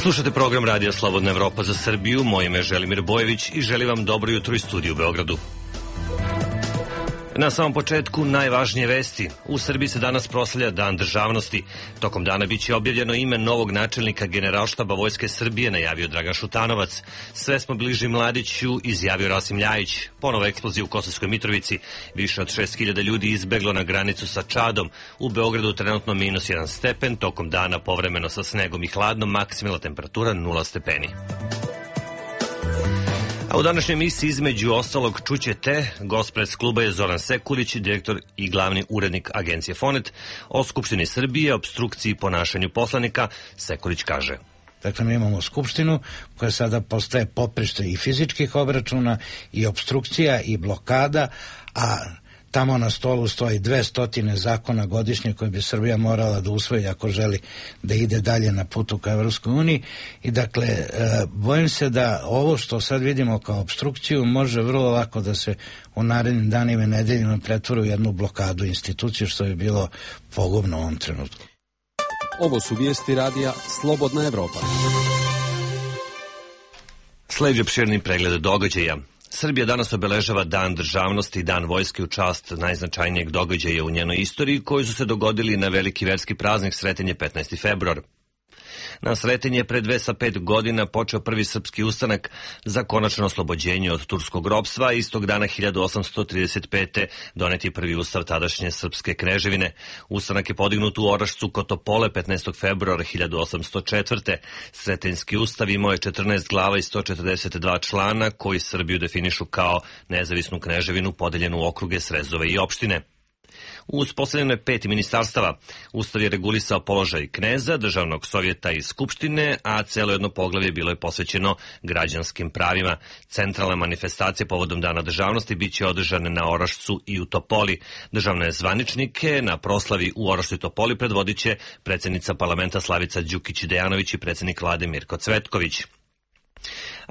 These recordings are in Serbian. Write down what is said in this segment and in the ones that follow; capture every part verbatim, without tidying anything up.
Slušate program Radija Slobodna Evropa za Srbiju, moje ime je Želimir Bojević i želim vam dobro jutro iz studija u Beogradu. Na samom početku najvažnije vesti. U Srbiji se danas proslavlja Dan državnosti. Tokom dana biće objavljeno ime novog načelnika Generalštaba Vojske Srbije, najavio Dragan Šutanovac. Sve smo bliži Mladiću, izjavio Rasim Ljajić. Ponovo eksplozija u Kosovskoj Mitrovici. Više od šest hiljada ljudi izbeglo na granicu sa Čadom. U Beogradu trenutno minus jedan stepen, tokom dana povremeno sa snegom i hladnom, maksimalna temperatura nula stepeni. A u današnjoj emisiji između ostalog čućete, gost pres kluba je Zoran Sekulić, direktor i glavni urednik agencije Fonet. O Skupštini Srbije, opstrukciji i ponašanju poslanika, Sekulić kaže: Dakle, mi imamo Skupštinu koja sada postaje poprište i fizičkih obračuna i opstrukcija i blokada, a tamo na stolu stoji dve stotine zakona godišnje koje bi Srbija morala da usvoji ako želi da ide dalje na putu ka Evropskoj uniji. I dakle, e, bojim se da ovo što sad vidimo kao opstrukciju može vrlo lako da se u narednim danima i nedeljima pretvori u jednu blokadu institucije, što je bilo pogubno u ovom trenutku. Ovo su vijesti radija Slobodna Evropa. Sledi opširni pregled događaja. Srbija danas obeležava Dan državnosti i Dan vojske u čast najznačajnijeg događaja u njenoj istoriji, koji su se dogodili na veliki verski praznik Sretenje petnaesti februar. Na Sretenje pre dve sa pet godina počeo prvi srpski ustanak za konačno oslobođenje od turskog ropstva. Istog dana hiljadu osamsto trideset pete donet je prvi ustav tadašnje srpske kneževine. Ustanak je podignut u Orašcu kod Topole petnaestog februara hiljadu osamsto četvrte. Sretenjski ustav imao je četrnaest glava i sto četrdeset dva člana koji Srbiju definišu kao nezavisnu kneževinu podeljenu u okruge, srezove i opštine. Uspostavljeno je pet ministarstava. Ustav je regulisao položaj kneza, državnog sovjeta i skupštine, a celo jedno poglavlje bilo je posvećeno građanskim pravima. Centralna manifestacija povodom Dana državnosti biće održane na Orašcu i u Topoli. Državne zvaničnike na proslavi u Orašcu i Topoli predvodit će predsjednica parlamenta Slavica Đukić-Dejanović i predsjednik vlade Mirko Cvetković.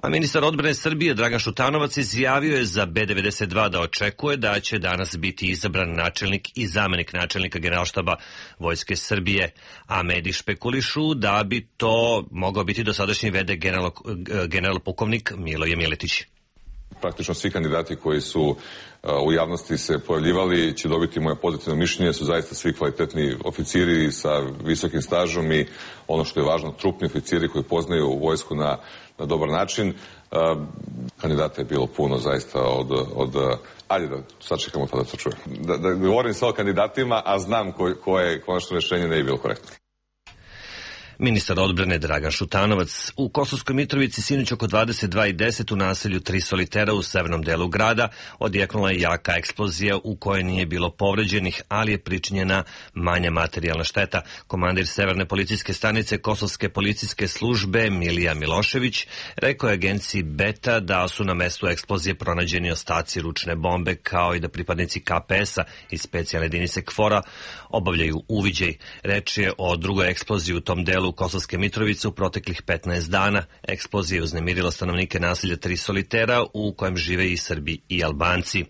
A ministar odbrane Srbije Dragan Šutanovac izjavio je za B devedeset dva da očekuje da će danas biti izabran načelnik i zamenik načelnika Generalštaba Vojske Srbije, a mediji špekulišu da bi to mogao biti dosadašnji v d general, general pukovnik Miloje Miletić. Praktično svi kandidati koji su u javnosti se pojavljivali će dobiti moje pozitivno mišljenje, su zaista svi kvalitetni oficiri sa visokim stažom i ono što je važno, trupni oficiri koji poznaju vojsku na, na dobar način. Kandidata je bilo puno zaista od, od ajde da sad čekamo pa da to čujem. Da, da govorim sa o kandidatima, a znam ko, koje konačno rešenje ne je bilo korektno. Ministar odbrane Dragan Šutanovac. U Kosovskoj Mitrovici sinoć oko dvadeset dva i deset u naselju Tri Solitera u severnom delu grada odjeknula je jaka eksplozija u kojoj nije bilo povređenih, ali je pričinjena manja materijalna šteta. Komandir Severne policijske stanice Kosovske policijske službe Milija Milošević rekao je agenciji Beta da su na mestu eksplozije pronađeni ostaci ručne bombe, kao i da pripadnici K P S-a i specijalne jedinice K F O R-a obavljaju uviđaj. Reč je o drugoj eksploziji u tom delu Kosovske Mitrovice u proteklih petnaest dana. Eksplozija je uznemirila stanovnike naselja Tri Solitera u kojem žive i Srbi i Albanci.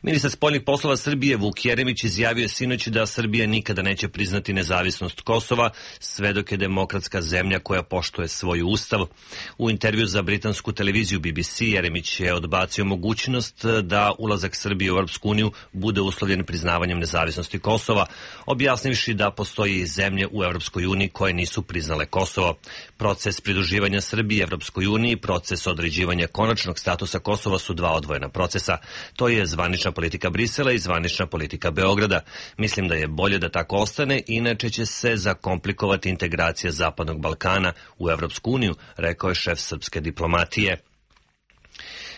Ministar spoljnih poslova Srbije Vuk Jeremić izjavio sinoć da Srbija nikada neće priznati nezavisnost Kosova sve dok je demokratska zemlja koja poštuje svoj ustav. U intervju za britansku televiziju B B C Jeremić je odbacio mogućnost da ulazak Srbije u Europsku uniju bude uslovljen priznavanjem nezavisnosti Kosova, objasnivši da postoji i zemlje u Europskoj uniji koje nisu priznale Kosovo. Proces pridruživanja Srbije Europskoj uniji i proces određivanja konačnog statusa Kosova su dva odvojena procesa. To je zvanična politika Brisela i zvanična politika Beograda. Mislim da je bolje da tako ostane, inače će se zakomplikovati integracija Zapadnog Balkana u Evropsku uniju, rekao je šef srpske diplomatije.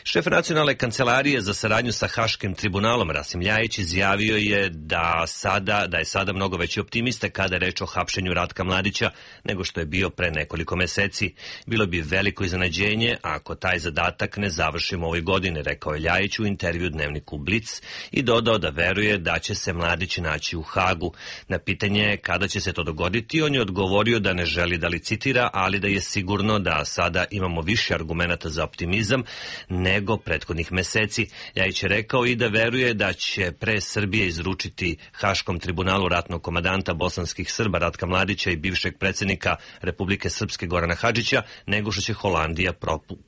Šef nacionalne kancelarije za saradnju sa Haškim tribunalom Rasim Ljajić izjavio je da, sada, da je sada mnogo veći optimista kada je reč o hapšenju Ratka Mladića nego što je bio pre nekoliko meseci. Bilo bi veliko iznenađenje ako taj zadatak ne završimo ove godine, rekao je Ljajić u intervju dnevniku Blic i dodao da veruje da će se Mladić naći u Hagu. Na pitanje kada će se to dogoditi, on je odgovorio da ne želi da licitira, ali da je sigurno da sada imamo više argumenata za optimizam, ne nego prethodnih meseci. Ljajić je rekao i da veruje da će pre Srbije izručiti Haškom tribunalu ratnog komadanta bosanskih Srba Ratka Mladića i bivšeg predsjednika Republike Srpske Gorana Hadžića, nego što će Holandija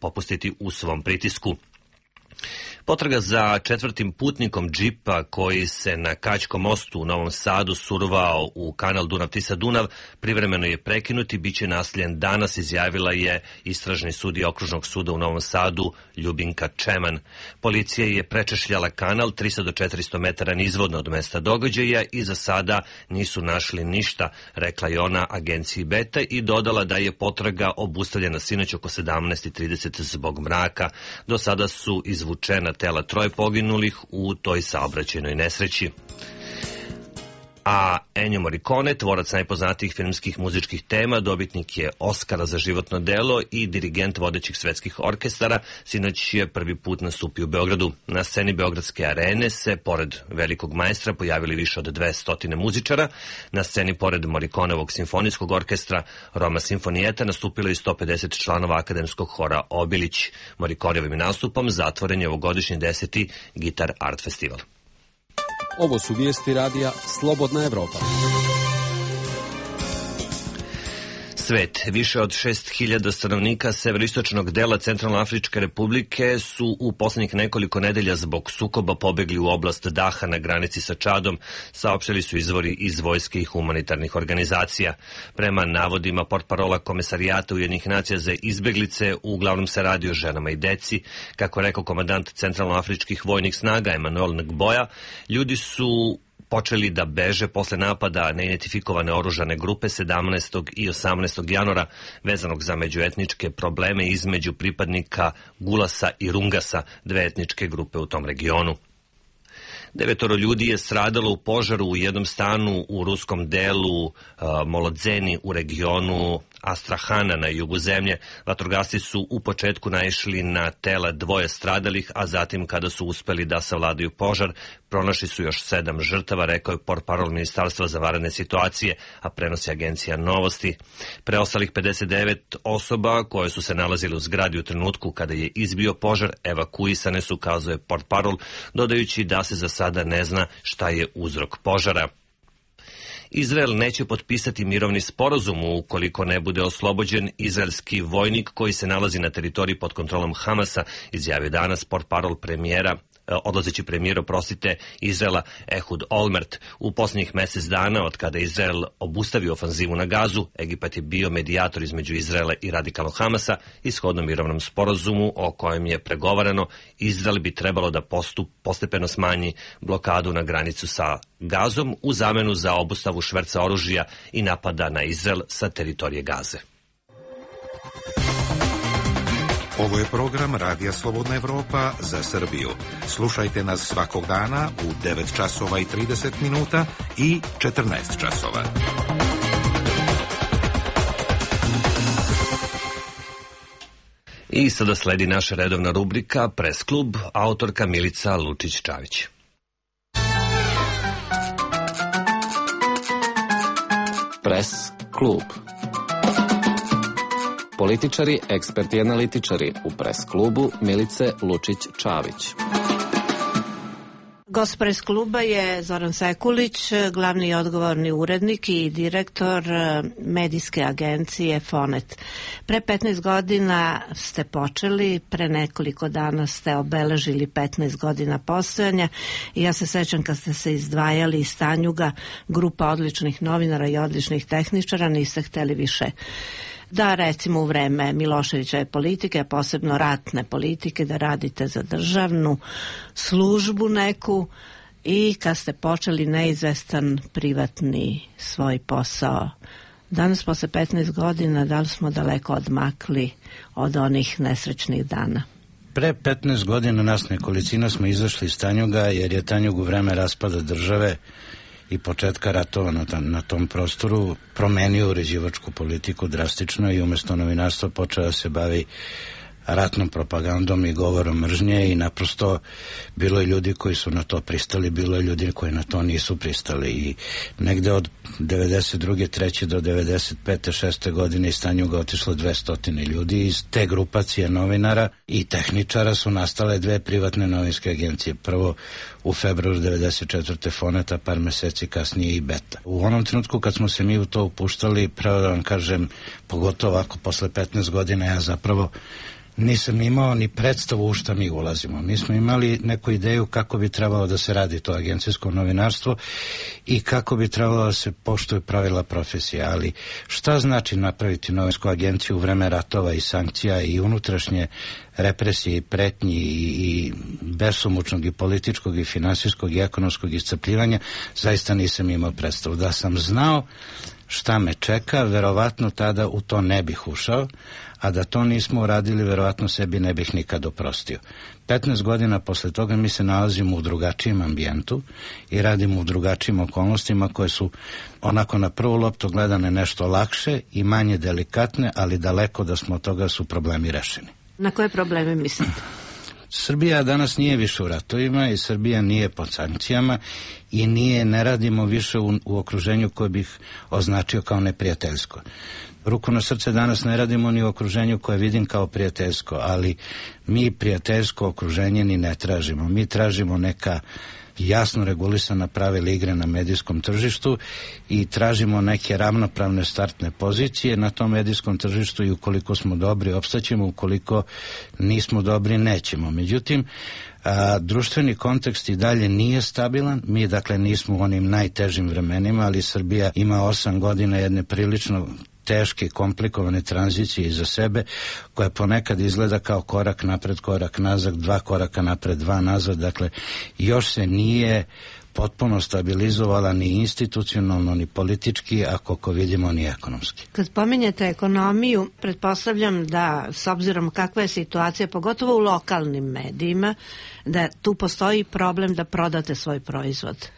popustiti u svom pritisku. Potraga za četvrtim putnikom džipa koji se na Kaćkom mostu u Novom Sadu survao u kanal Dunav-Tisa-Dunav privremeno je prekinut i bit će nastavljen danas, izjavila je istražni sudija Okružnog suda u Novom Sadu Ljubinka Čeman. Policija je prečešljala kanal tristo do četiristo metara nizvodno od mesta događaja i za sada nisu našli ništa, rekla je ona agenciji Beta i dodala da je potraga obustavljena sinoć oko sedamnaest i trideset zbog mraka. Do sada su izvučena tela troje poginulih u toj saobraćajnoj nesreći. A Ennio Morricone, tvorac najpoznatijih filmskih muzičkih tema, dobitnik je Oskara za životno delo i dirigent vodećih svetskih orkestara, sinoć je prvi put nastupio u Beogradu. Na sceni Beogradske arene se, pored velikog majstra, pojavili više od dvesta muzičara. Na sceni, pored Morriconevog simfonijskog orkestra Roma Sinfonijeta, nastupilo je sto pedeset članova akademskog hora Obilić. Morriconevim nastupom zatvoren je ovogodišnji deseti Gitar Art Festival. Ovo su vijesti radija Slobodna Evropa. Svet. Više od šest hiljada stanovnika severoistočnog dela Centralnoafričke republike su u poslednjih nekoliko nedelja zbog sukoba pobegli u oblast Daha na granici sa Čadom, saopštili su izvori iz vojske i humanitarnih organizacija. Prema navodima portparola Komesarijata Ujedinjenih nacija za izbeglice, uglavnom se radi o ženama i deci. Kako rekao komandant Centralnoafričkih vojnih snaga Emanuel Ngboja, ljudi su počeli da beže posle napada neidentifikovane oružane grupe sedamnaestog i osamnaestog januara vezanog za međuetničke probleme između pripadnika Gulasa i Rungasa, dve etničke grupe u tom regionu. Devetoro ljudi je stradalo u požaru u jednom stanu u ruskom delu uh, Molodzeni u regionu Astrahana na jugu zemlje. Vatrogasci su u početku naišli na tela dvoje stradalih, a zatim kada su uspeli da savladaju požar, pronašli su još sedam žrtava, rekao je portparol Ministarstva za vanredne situacije, a prenosi agencija Novosti. Preostalih pedeset devet osoba koje su se nalazile u zgradi u trenutku kada je izbio požar evakuisane su, kazuje portparol, dodajući da se za sada ne zna šta je uzrok požara. Izrael neće potpisati mirovni sporazum ukoliko ne bude oslobođen izraelski vojnik koji se nalazi na teritoriji pod kontrolom Hamasa, izjavio danas portparol premijera odlazeći premijer, oprostite, Izraela Ehud Olmert. U posljednjih mjesec dana, od kada Izrael obustavio ofanzivu na Gazu, Egipat je bio medijator između Izraela i radikalnog Hamasa i shodno mirovnom sporazumu o kojem je pregovarano, Izrael bi trebalo da postup, postepeno smanji blokadu na granicu sa Gazom u zamenu za obustavu šverca oružja i napada na Izrael sa teritorije Gaze. Ovo je program Radija Slobodna Evropa za Srbiju. Slušajte nas svakog dana u devet časova i trideset minuta i četrnaest časova. I sada sledi naša redovna rubrika Pres klub, autorka Milica Lučić-Čavić. Pres klub. Političari, eksperti i analitičari u Pres klubu Milice Lučić-Čavić. Gost Pres kluba je Zoran Sekulić, glavni i odgovorni urednik i direktor medijske agencije Fonet. Pre petnaest godina ste počeli, pre nekoliko dana ste obeležili petnaest godina postojanja i ja se sećam kad ste se izdvajali iz Tanjuga, grupa odličnih novinara i odličnih tehničara, niste hteli više da recimo u vreme Miloševićeve politike, a posebno ratne politike, da radite za državnu službu neku i kad ste počeli neizvestan privatni svoj posao. Danas posle petnaest godina, da li smo daleko odmakli od onih nesrećnih dana? Pre petnaest godina nas nekolicina smo izašli iz Tanjuga jer je Tanjug u vreme raspada države i početka ratova na, na tom prostoru promenio uređivačku politiku drastično i umjesto novinarstva počeo da se bavi ratnom propagandom i govorom mržnje i naprosto bilo je ljudi koji su na to pristali, bilo je ljudi koji na to nisu pristali i negde od devedeset druge, treće do devedeset pete, šeste godine iz Tanjuga otišlo dvesta ljudi. Iz te grupacije novinara i tehničara su nastale dve privatne novinske agencije. Prvo u februaru devedeset četvrte Foneta, par meseci kasnije i Beta. U onom trenutku kad smo se mi u to upuštali, pravo da vam kažem, pogotovo ako posle petnaest godina, ja zapravo nisam imao ni predstavu u šta mi ulazimo. Mi smo imali neku ideju kako bi trebalo da se radi to agencijsko novinarstvo i kako bi trebalo da se poštuju pravila profesije, ali šta znači napraviti novinsku agenciju u vreme ratova i sankcija i unutrašnje represije i pretnji i, i besomučnog i političkog i finansijskog i ekonomskog iscrpljivanja, zaista nisam imao predstavu. Da sam znao šta me čeka, verovatno tada u to ne bih ušao, a da to nismo uradili, verovatno sebi ne bih nikad oprostio. petnaest godina posle toga mi se nalazimo u drugačijem ambijentu i radimo u drugačijim okolnostima koje su onako na prvu loptu gledane nešto lakše i manje delikatne, ali daleko da smo od toga su problemi rešeni. Na koje probleme mislite? Srbija danas nije više u ratovima i Srbija nije pod sankcijama i nije, ne radimo više u, u okruženju koje bih označio kao neprijateljsko. Ruku na srce, danas ne radimo ni u okruženju koje vidim kao prijateljsko, ali mi prijateljsko okruženje ni ne tražimo. Mi tražimo neka jasno regulisana pravila igre na medijskom tržištu i tražimo neke ravnopravne startne pozicije na tom medijskom tržištu i ukoliko smo dobri opstaćemo, ukoliko nismo dobri nećemo. Međutim, a, društveni kontekst i dalje nije stabilan, mi dakle nismo u onim najtežim vremenima, ali Srbija ima osam godina jedne prilično teške, komplikovane tranzicije iza sebe, koja ponekad izgleda kao korak napred, korak nazad, dva koraka napred, dva nazad, dakle još se nije potpuno stabilizovala ni institucionalno, ni politički, a koliko vidimo ni ekonomski. Kad pominjete ekonomiju, pretpostavljam da s obzirom kakva je situacija, pogotovo u lokalnim medijima, da tu postoji problem da prodate svoj proizvod.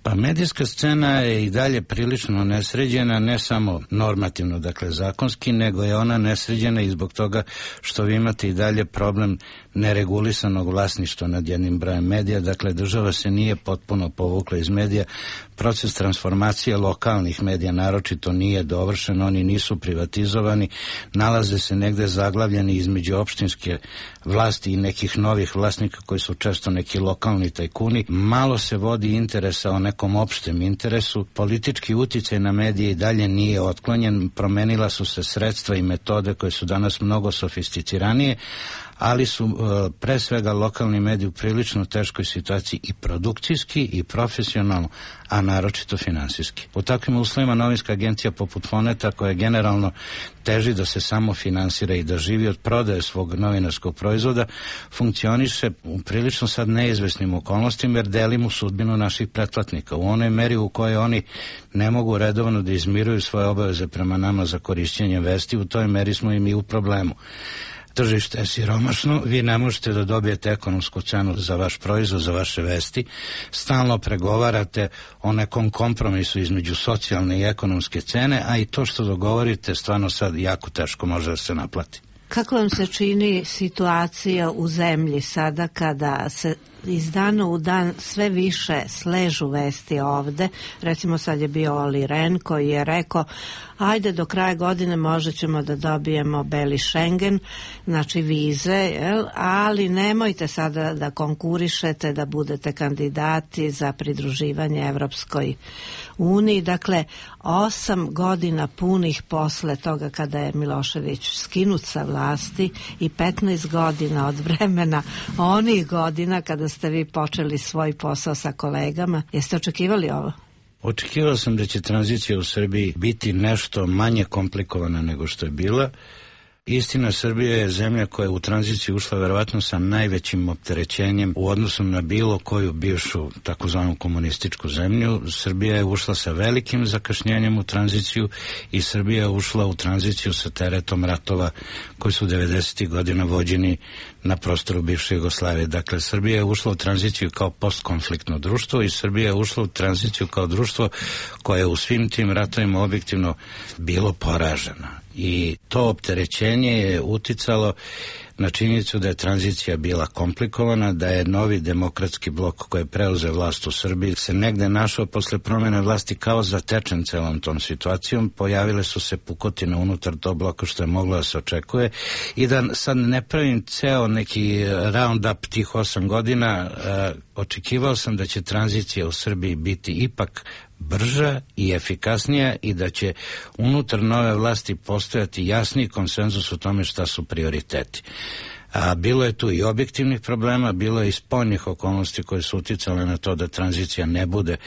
Pa medijska scena je i dalje prilično nesređena, ne samo normativno, dakle zakonski, nego je ona nesređena i zbog toga što vi imate i dalje problem neregulisanog vlasništva nad jednim brojem medija, dakle država se nije potpuno povukla iz medija, proces transformacije lokalnih medija naročito nije dovršen, oni nisu privatizovani, nalaze se negde zaglavljeni između opštinske vlasti i nekih novih vlasnika koji su često neki lokalni tajkuni, malo se vodi interesa o nekom opštem interesu, politički uticaj na medije i dalje nije otklonjen, promenila su se sredstva i metode koje su danas mnogo sofisticiranije, ali su uh, pre svega lokalni mediji u prilično teškoj situaciji i produkcijski i profesionalno, a naročito finansijski. U takvim uslovima novinska agencija poput Foneta, koja generalno teži da se samo finansira i da živi od prodaje svog novinarskog proizvoda, funkcioniše u prilično sad neizvesnim okolnostima jer delimo sudbinu naših pretplatnika. U onoj meri u kojoj oni ne mogu redovno da izmiruju svoje obaveze prema nama za korišćenje vesti, u toj meri smo i mi u problemu. Tržište je siromašno, vi ne možete da dobijete ekonomsku cenu za vaš proizvod, za vaše vesti, stalno pregovarate o nekom kompromisu između socijalne i ekonomske cene, a i to što dogovorite stvarno sad jako teško može da se naplati. Kako vam se čini situacija u zemlji sada kada se iz dana u dan sve više sležu vesti ovde? Recimo sad je bio Oli Ren koji je rekao ajde do kraja godine možda ćemo da dobijemo beli Schengen, znači vize, jel? Ali nemojte sada da konkurišete, da budete kandidati za pridruživanje Evropskoj uniji. Dakle, osam godina punih posle toga kada je Milošević skinut sa vlasti i petnaest godina od vremena onih godina kada ste vi počeli svoj posao sa kolegama. Jeste očekivali ovo? Očekivao sam da će tranzicija u Srbiji biti nešto manje komplikovana nego što je bila. Istina, Srbija je zemlja koja je u tranziciju ušla verovatno sa najvećim opterećenjem u odnosu na bilo koju bivšu takozvanu komunističku zemlju. Srbija je ušla sa velikim zakašnjenjem u tranziciju i Srbija je ušla u tranziciju sa teretom ratova koji su devedesetih godina vođeni na prostoru bivše Jugoslavije. Dakle, Srbija je ušla u tranziciju kao postkonfliktno društvo i Srbija je ušla u tranziciju kao društvo koje je u svim tim ratovima objektivno bilo poraženo. I to opterećenje je uticalo na činjenicu da je tranzicija bila komplikovana, da je novi demokratski blok koji je preuzeo vlast u Srbiji se negde našao posle promjene vlasti kao zatečen celom tom situacijom. Pojavile su se pukotine unutar tog bloka što je moglo da se očekuje i da sad ne pravim ceo neki round up tih osam godina, eh, očekivao sam da će tranzicija u Srbiji biti ipak brža i efikasnija i da će unutar nove vlasti postojati jasniji konsenzus o tome šta su prioriteti. A bilo je tu i objektivnih problema, bilo je i spoljnih okolnosti koje su uticale na to da tranzicija ne bude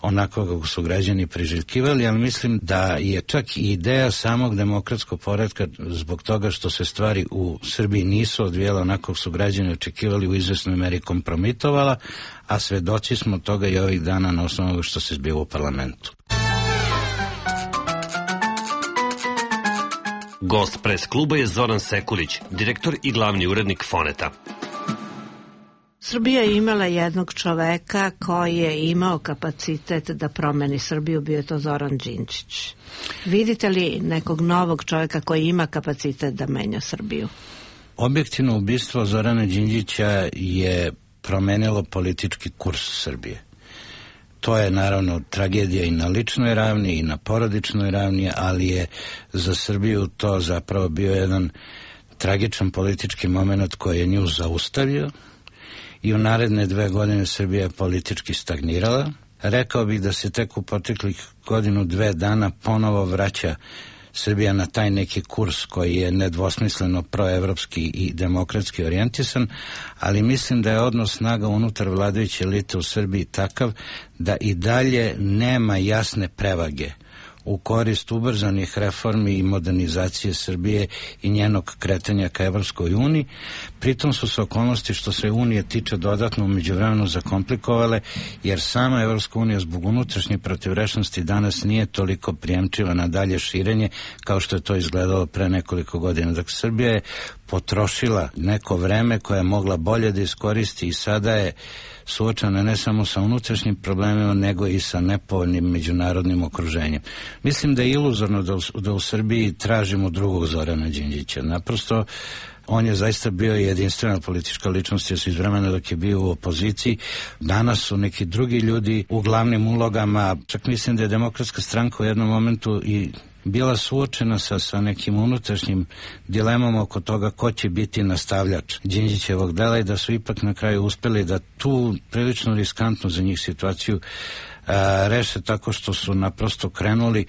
onako kako su građani priželjkivali, ali mislim da je čak i ideja samog demokratskog poretka zbog toga što se stvari u Srbiji nisu odvijale onako kako su građani očekivali u izvesnoj meri kompromitovala, a svedoci smo toga i ovih dana na osnovu onoga što se zbiva u parlamentu. Gost pres kluba je Zoran Sekulić, direktor i glavni urednik Foneta. Srbija je imala jednog čoveka koji je imao kapacitet da promeni Srbiju, bio je to Zoran Đinđić. Vidite li nekog novog čoveka koji ima kapacitet da menja Srbiju? Objektivno ubistvo Zorana Đinđića je promenilo politički kurs Srbije. To je naravno tragedija i na ličnoj ravni i na porodičnoj ravni, ali je za Srbiju to zapravo bio jedan tragičan politički moment koji je nju zaustavio i u naredne dve godine Srbija je politički stagnirala. Rekao bih da se tek u proteklih godinu dve dana ponovo vraća Srbija na taj neki kurs koji je nedvosmisleno proevropski i demokratski orijentisan, ali mislim da je odnos snaga unutar vladajuće elite u Srbiji takav da i dalje nema jasne prevage u korist ubrzanih reformi i modernizacije Srbije i njenog kretanja ka Evropskoj uniji. Pritom su se okolnosti što se Unije tiče dodatno u međuvremenu zakomplikovale, jer sama Evropska unija zbog unutrašnje protivrečnosti danas nije toliko prijemčiva na dalje širenje kao što je to izgledalo pre nekoliko godina. Dakle, Srbija je potrošila neko vreme koje je mogla bolje da iskoristi i sada je suočena ne samo sa unutrašnjim problemima, nego i sa nepovoljnim međunarodnim okruženjem. Mislim da je iluzorno da u, da u Srbiji tražimo drugog Zorana Đinđića. Naprosto, on je zaista bio jedinstvena politička ličnost, jer su iz vremena dok je bio u opoziciji. Danas su neki drugi ljudi u glavnim ulogama. Čak mislim da je Demokratska stranka u jednom momentu i bila suočena sa, sa nekim unutrašnjim dilemama oko toga ko će biti nastavljač Đinđićevog dela i da su ipak na kraju uspeli da tu prilično riskantnu za njih situaciju a, reše tako što su naprosto krenuli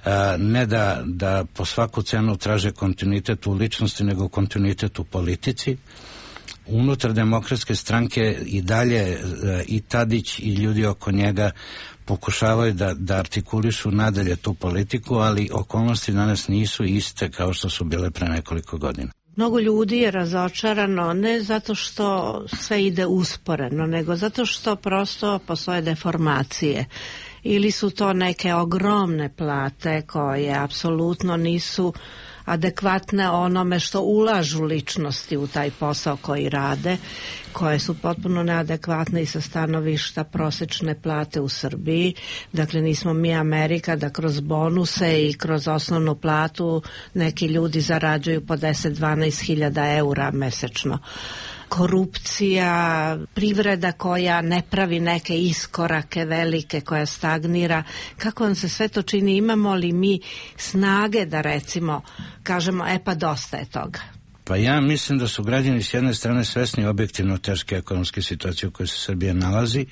a, ne da, da po svaku cenu traže kontinuitet u ličnosti, nego kontinuitet u politici. Unutar Demokratske stranke i dalje i Tadić i ljudi oko njega pokušavaju da, da artikulišu nadalje tu politiku, ali okolnosti danas nisu iste kao što su bile pre nekoliko godina. Mnogo ljudi je razočarano ne zato što sve ide usporeno, nego zato što prosto postoje deformacije. Ili su to neke ogromne plate koje apsolutno nisu adekvatne onome što ulažu ličnosti u taj posao koji rade, koje su potpuno neadekvatne i sa stanovišta prosečne plate u Srbiji. Dakle, nismo mi Amerika da kroz bonuse i kroz osnovnu platu neki ljudi zarađuju po deset do dvanaest hiljada eura mesečno. Korupcija, privreda koja ne pravi neke iskorake velike, koja stagnira. Kako vam se sve to čini? Imamo li mi snage da recimo kažemo, e pa dosta je toga? Pa ja mislim da su građani s jedne strane svesni objektivno teške ekonomske situacije u kojoj se Srbija nalazi,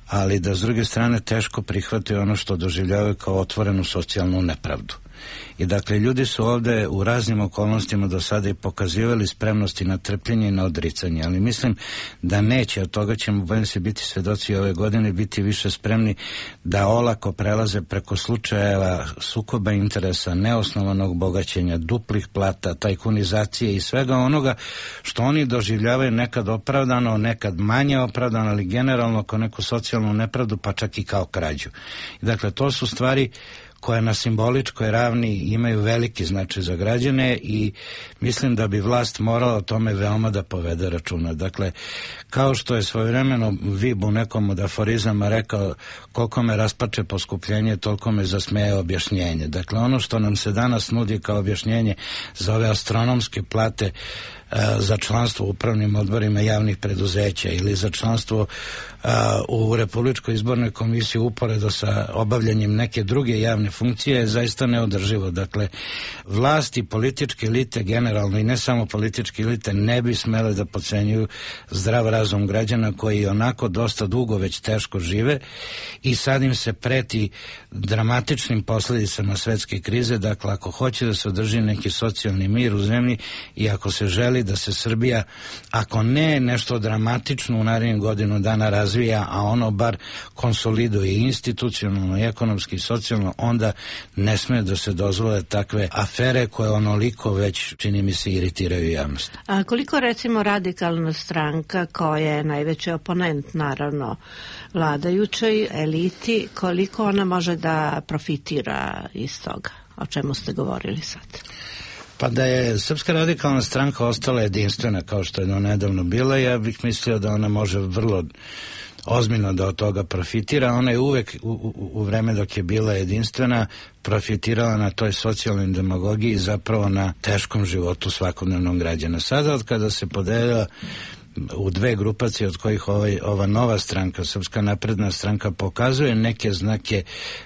ali da s druge strane teško prihvataju ono što doživljavaju kao otvorenu socijalnu nepravdu. I dakle, ljudi su ovde u raznim okolnostima do sada i pokazivali spremnosti na trpljenje i na odricanje, ali mislim da neće, od toga ćemo bojim se biti svedoci ove godine, biti više spremni da olako prelaze preko slučajeva sukoba interesa, neosnovanog bogaćenja, duplih plata, tajkunizacije i svega onoga što oni doživljavaju nekad opravdano, nekad manje opravdano, ali generalno kao neku socijalnu nepravdu, pa čak i kao krađu. I dakle, to su stvari koja na simboličkoj ravni imaju veliki značaj za građane i mislim da bi vlast morala o tome veoma da povede računa. Dakle, kao što je svojevremeno Vib u nekom od aforizama rekao, koliko me raspače poskupljenje, toliko me zasmeje objašnjenje. Dakle, ono što nam se danas nudi kao objašnjenje za ove astronomske plate za članstvo u upravnim odborima javnih preduzeća ili za članstvo a, u Republičkoj izbornoj komisiji uporedo sa obavljanjem neke druge javne funkcije je zaista neodrživo. Dakle, vlast i političke elite generalno i ne samo političke elite ne bi smele da podcenjuju zdrav razum građana koji onako dosta dugo već teško žive i sad im se preti dramatičnim posledicama svetske krize. Dakle, ako hoće da se održi neki socijalni mir u zemlji i ako se želi da se Srbija, ako ne nešto dramatično u narednih godinu dana razvija, a ono bar konsoliduje institucionalno, ekonomski i socijalno, onda ne sme da se dozvole takve afere koje onoliko već, čini mi se, iritiraju javnost. A koliko recimo Radikalna stranka, koja je najveći oponent naravno vladajućoj eliti, koliko ona može da profitira iz toga, o čemu ste govorili sad? Pa da je Srpska radikalna stranka ostala jedinstvena kao što je do nedavno bila, ja bih mislio da ona može vrlo ozbiljno da od toga profitira. Ona je uvek u, u, u vreme dok je bila jedinstvena profitirala na toj socijalnoj demagogiji, zapravo na teškom životu svakodnevnog građana. Sada od kada se podelila u dve grupacije od kojih ovaj, ova nova stranka, Srpska napredna stranka, pokazuje neke znake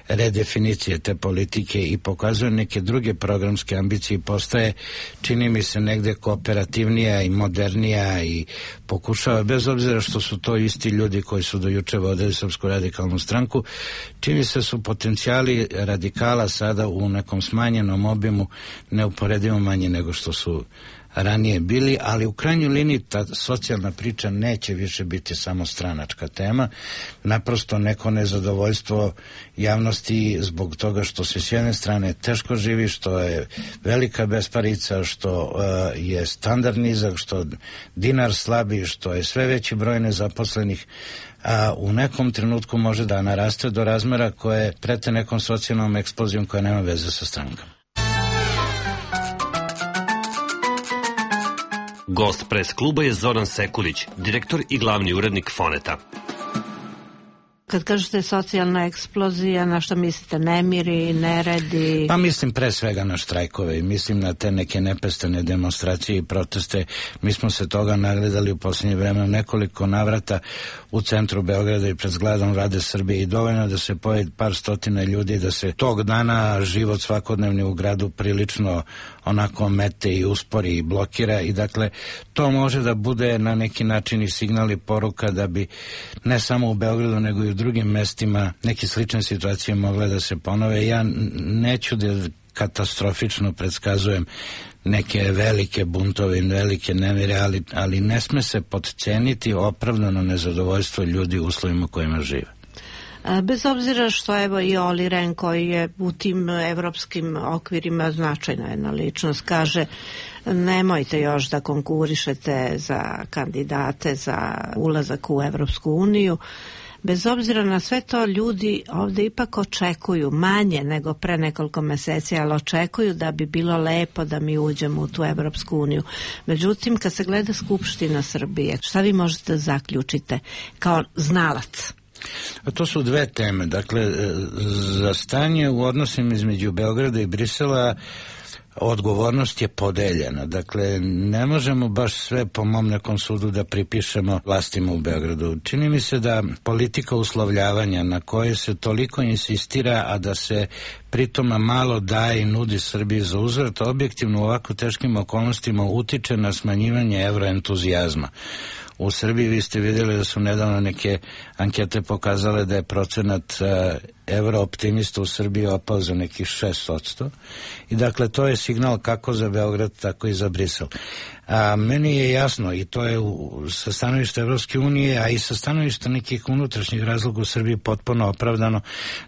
redefinicije te politike i pokazuje neke druge programske ambicije i postaje, čini mi se, negde kooperativnija i modernija i pokušava, bez obzira što su to isti ljudi koji su do juče vodili Srpsku radikalnu stranku, čini se su potencijali radikala sada u nekom smanjenom obimu neuporedivo manji nego što su ranije bili, ali u krajnjoj liniji ta socijalna priča neće više biti samo stranačka tema, naprosto neko nezadovoljstvo javnosti zbog toga što se s jedne strane teško živi, što je velika besparica, što uh, je standard nizak, što dinar slabi, što je sve veći broj nezaposlenih, a u nekom trenutku može da naraste do razmera koje prete nekom socijalnom eksplozijom koja nema veze sa strankom. Gost pres kluba je Zoran Sekulić, direktor i glavni urednik Foneta. Kad kažete socijalna eksplozija, na što mislite, nemiri, neredi? Pa mislim pre svega na štrajkove i mislim na te neke nepestane demonstracije i proteste. Mi smo se toga nagledali u posljednje vreme u nekoliko navrata u centru Beograda i pred zgradom Vlade Srbije i dovoljno da se pojavi par stotina ljudi, da se tog dana život svakodnevni u gradu prilično onako mete i uspori i blokira i dakle to može da bude na neki način i signal i poruka da bi ne samo u Beogradu nego i u drugim mestima neke slične situacije mogle da se ponove. Ja neću da katastrofično predskazujem neke velike buntove i velike nemire, ali, ali ne sme se podceniti opravdano nezadovoljstvo ljudi u uslovima kojima žive. Bez obzira što evo i Oli Ren, koji je u tim evropskim okvirima značajna jedna ličnost, kaže nemojte još da konkurišete za kandidate za ulazak u Evropsku uniju. Bez obzira na sve to, ljudi ovde ipak očekuju manje nego pre nekoliko meseci, ali očekuju da bi bilo lepo da mi uđemo u tu Evropsku uniju. Međutim, kad se gleda Skupština Srbije, šta vi možete da zaključite kao znalac? A to su dve teme. Dakle, za stanje u odnosima između Beograda i Brisela odgovornost je podeljena. Dakle, ne možemo baš sve po mom nekom sudu da pripišemo vlastima u Beogradu. Čini mi se da politika uslovljavanja na koje se toliko insistira, a da se pritom malo daje i nudi Srbiji za uzvrat, objektivno u ovako teškim okolnostima utiče na smanjivanje evroentuzijazma. U Srbiji vi ste vidjeli da su nedavno neke ankete pokazale da je procenat uh, evrooptimista u Srbiji opao za nekih šest posto i dakle to je signal kako za Beograd tako i za Brisel. A meni je jasno i to je u, sa stanovišta Evropske unije, a i sa stanovišta nekih unutrašnjih razloga u Srbiji potpuno opravdano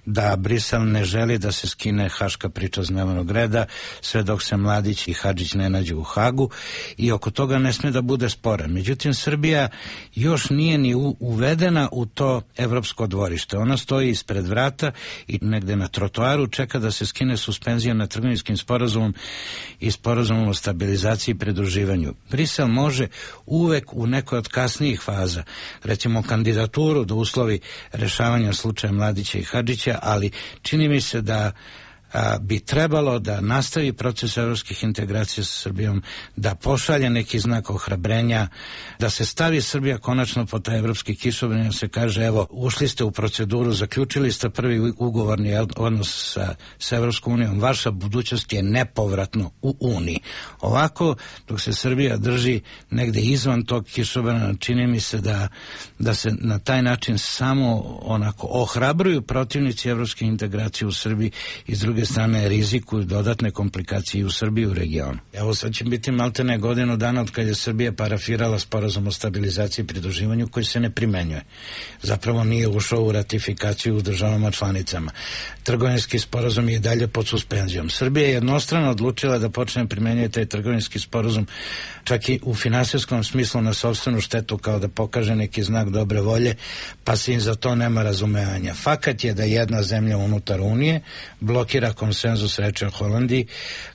da Brisel ne želi da se skine haška priča s dnevnog reda sve dok se Mladić i Hadžić ne nađu u Hagu i oko toga ne sme da bude spora. Međutim, Srbija još nije ni u, uvedena u to evropsko dvorište. Ona stoji ispred vrata automata i negde na trotoaru čeka da se skine suspenzija na trgovinskim sporazumom i sporazumom o stabilizaciji i pridruživanju. Brisel može uvek u nekoj od kasnijih faza, recimo kandidaturu da uslovi rešavanja slučaja Mladića i Hadžića, ali čini mi se da a, bi trebalo da nastavi proces evropskih integracija sa Srbijom, da pošalje neki znak ohrabrenja, da se stavi Srbija konačno po taj evropski kišobran, da se kaže evo, ušli ste u proceduru, zaključili ste prvi ugovorni odnos sa, sa Evropskom unijom, vaša budućnost je nepovratno u Uniji. Ovako, dok se Srbija drži negde izvan tog kišobrana, čini mi se da, da se na taj način samo onako ohrabruju protivnici evropske integracije u Srbiji i s druge strane rizikuju dodatne komplikacije u Srbiji i u regionu. Evo sad će biti maltene godinu dana od kada je Srbija parafirala sporazum o stabilizaciji i pridruživanju koji se ne primenjuje. Zapravo nije ušao u ratifikaciju u državama članicama. Trgovinski sporazum je dalje pod suspenzijom. Srbija je jednostrano odlučila da počne primenjuje taj trgovinski sporazum čak i u finansijskom smislu na sopstvenu štetu, kao da pokaže neki znak dobre volje, pa se im za to nema razumevanja. Fakat je da jedna zemlja unutar Unije blokira konsenzus, reče o Holandiji,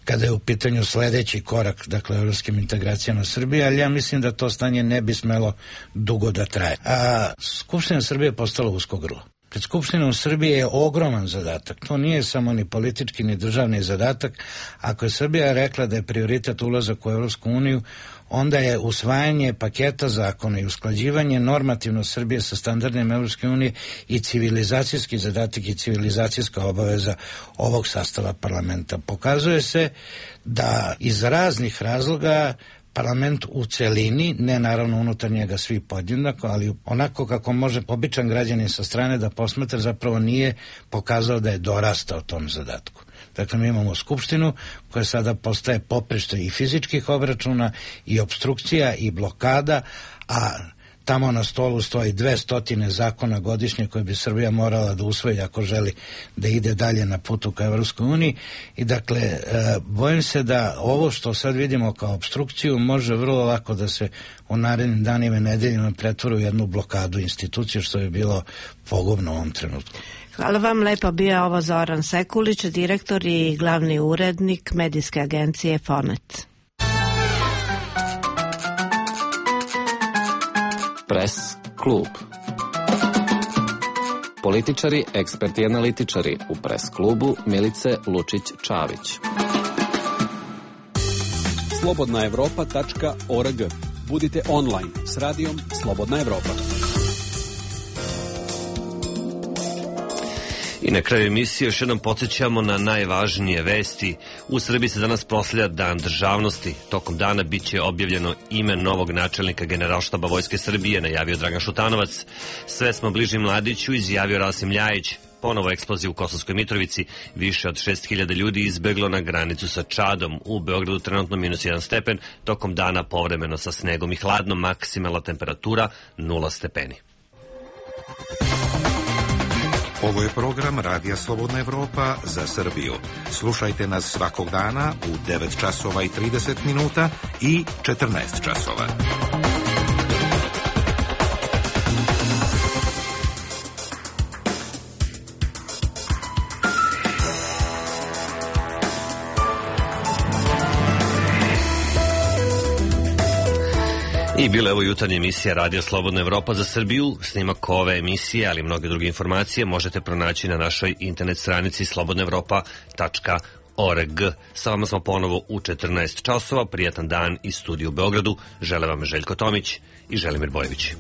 kada je u pitanju sledeći korak, dakle, evropskim integracijama Srbije, ali ja mislim da to stanje ne bi smelo dugo da traje. A Skupština Srbije je postala usko grlo. Pred Skupštinom Srbije je ogroman zadatak. To nije samo ni politički ni državni zadatak. Ako je Srbija rekla da je prioritet ulazak u Evropsku uniju, onda je usvajanje paketa zakona i usklađivanje normativno Srbije sa standardima Evropske unije i civilizacijski zadatak i civilizacijska obaveza ovog sastava parlamenta. Pokazuje se da iz raznih razloga parlament u celini, ne naravno unutar njega svi podjednako, ali onako kako može običan građanin sa strane da posmatra, zapravo nije pokazao da je dorastao tom zadatku. Dakle, mi imamo Skupštinu koja sada postaje poprište i fizičkih obračuna i obstrukcija i blokada, a tamo na stolu stoji dve stotine zakona godišnje koje bi Srbija morala da usvoji ako želi da ide dalje na putu ka Evropskoj uniji. I dakle, e, bojim se da ovo što sad vidimo kao obstrukciju može vrlo lako da se u narednim danima i nedeljima pretvori u jednu blokadu institucije, što je bilo pogubno u ovom trenutku. Hvala vam, lepo bio ovo Zoran Sekulić, direktor i glavni urednik medijske agencije Fonet. Pres klub. Političari, eksperti i analitičari u Pres klubu Milice Lučić-Čavić. slobodna evropa tačka org. Budite online s radijom Slobodna Evropa. I na kraju emisije još jednom podsjećamo na najvažnije vesti. U Srbiji se danas proslavlja Dan državnosti. Tokom dana bit će objavljeno ime novog načelnika Generalštaba Vojske Srbije, najavio Dragan Šutanovac. Sve smo bliži Mladiću, izjavio Rasim Ljajić. Ponovo eksplozija u Kosovskoj Mitrovici. Više od šest hiljada ljudi izbeglo na granicu sa Čadom. U Beogradu trenutno minus jedan stepen. Tokom dana povremeno sa snegom i hladno, maksimalna temperatura nula stepeni. Ovo je program Radija Slobodna Evropa za Srbiju. Slušajte nas svakog dana u devet časova i trideset minuta i četrnaest časova. I bila je ovo jutarnja emisija Radija Slobodna Evropa za Srbiju. Snimak ove emisije, ali i mnoge druge informacije možete pronaći na našoj internet stranici slobodna evropa tačka org. Sa vama smo ponovo u četrnaest časova. Prijatan dan iz studija u Beogradu. Žele vam Željko Tomić i Želimir Bojević.